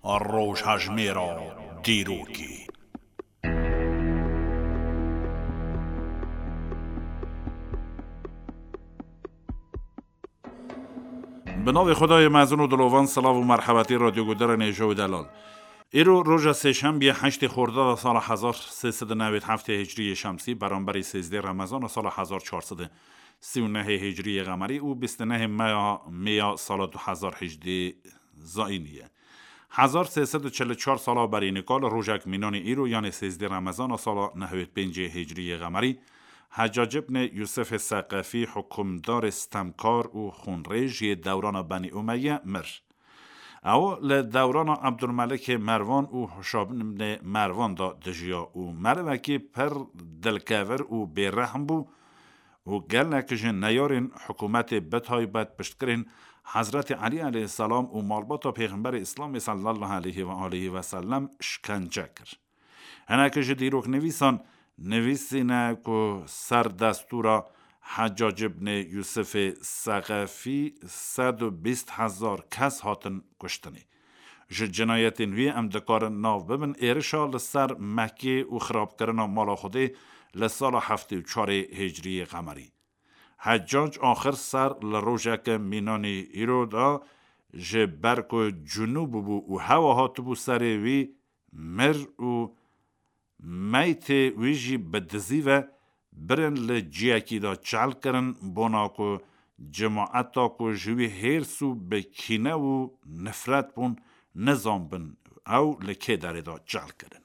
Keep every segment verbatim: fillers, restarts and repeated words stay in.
Rojhejmêra dîrokê. Bi navê Xwedayê mezin û dilovan, silav û merhebetî radyoguhdarên hêja û delal. Îro roja sêşembiyê heştê Xordada sala hezar sê sed û newêd heftê hicriyê şemsî, beramberî sêzdê Remezana sala hezar çar sed û sî û nehê hicriyê qemerî û bîst û nehê meya, mêya sala du hezar hejdê zayînî ye. Hezar sê sed û çil û çar sala berî nika li rojek mînanî îro, yanê sêzdê Remezana sala nehwêd pêncê hicriyê qemerî, Heccac ibnê Yûsifê Seqefî, hukimdarê stemkar û xûnrêj yê dewrana Benî Umeyye, mir. Ew li dewrana Ebdulmelikê Merwan û Hişam ibnê Merwan de dijiya û merivekî pir dilkevir û bêrehm bû û gelek ji neyarên hikûmetê, bi taybet piştgirên Hezretî Elî aleyhisselam û malbata Pêxemberê Îslamê sallallahu aleyhi ve aleyhi ve sellem, şikence kir. Hinek ji dîroknivîsan nivîsîne ku ser destûra Heccac ibnê Yûsifê Seqefî sed û bîst hezar kes hatin kuştinê. Ji cinayetên wî em dikarin nav bibin êrişa li ser Mekkê û xirabkirina mala Xwedê li sala heftê û çarê hicriyê qemerî. Heccac axir ser li rojeke mînanî îro de, ji ber ku cunûb bû û hewa hatibû serê wî, mir û meytê wî jî bi dizî ve birin li ciyekî de çel kirin, bona ku cemaeta ku ji wî hêrs û bi kîne û nifret bûn, nizanbin ew li kê derê de çel kirine.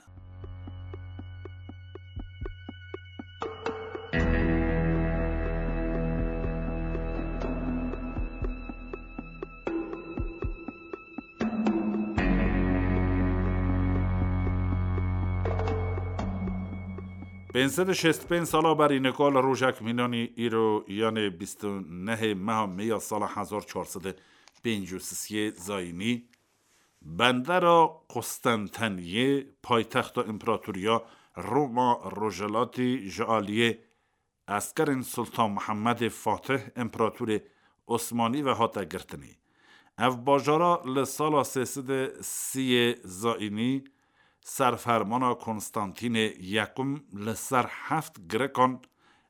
Pênc sed û şêst û pênc sala berî nika li rojek mînanî îro, yanê bîst û nehê meha mêya sala hezar çar sed û pêncî û sisê zayînî, bendera Qustenteniyê, paytexta împeratoriya Roma Rojhilatî, ji aliyê eskerên Sultan Mihemedê Fatih, împeratorê Osmanî ve hate girtinê. Ev bajara li sala sê sed û sî zayînî ser fermana Konstantînê Yekum li ser heft girikan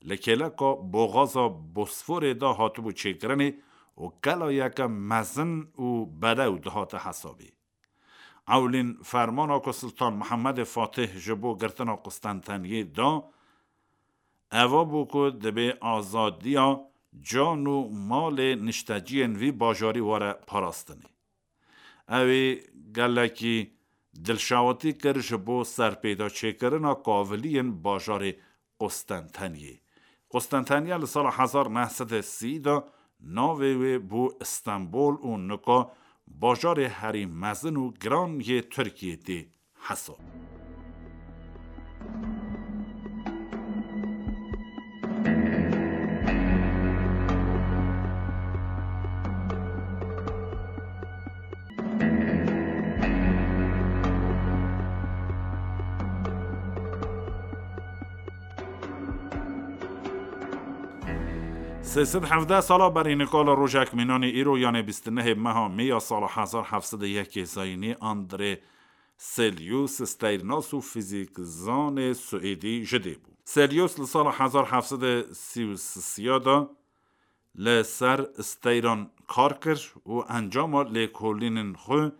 li kêleka boxaza Bosforê de hatibû çêkirinê û kelayeke mezin û bedew dihate hesabê. Ewlîn fermana ku Sultan Mihemedê Fatih ji bo girtina Qustenteniyê da, eva bû ku dibê azadiya can û malê nişteciyên vî bajarî were parastinê. Ew ê gelekî dilşewatî kir ji bo serpêda çêkirina kaviliyên bajarê Qustenteniyê. Qustenteniye li sala hezar neh sed û sî de navê wê bû Stenbol û nika bajarê herî mezin û giran yê Tirkiyê tê hesab. Sê sed hevdeh sala berî nika li rojek mînanî îro, yanê bîst û nehê meha Mê ya sala hezar heft sed û yekê zayînî, Andrê Celius, steyrnas û fîzîkzanê Swêdî ji dê bû. Celius li sala hezar heft sed û sî û sê de li ser steyran kar kir û encama lêkolînên xwe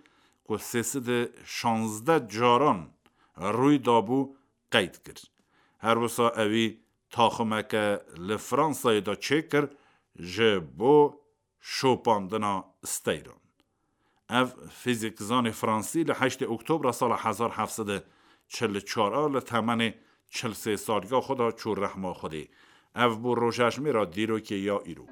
ku sê sed û şazdeh caran rûy dabû qeyd kir. Her wisa ewî taximeke li Fransayê de çêkir ji bo şopandina steyran. Ev fîzîkzanê fransî li heştê Oktobra sala hezar heft sed û çil û çar a li temenê çil sê saliya xwe de çû rehma Xwedê. Ev bû rojejmêra dîrokê ya îro.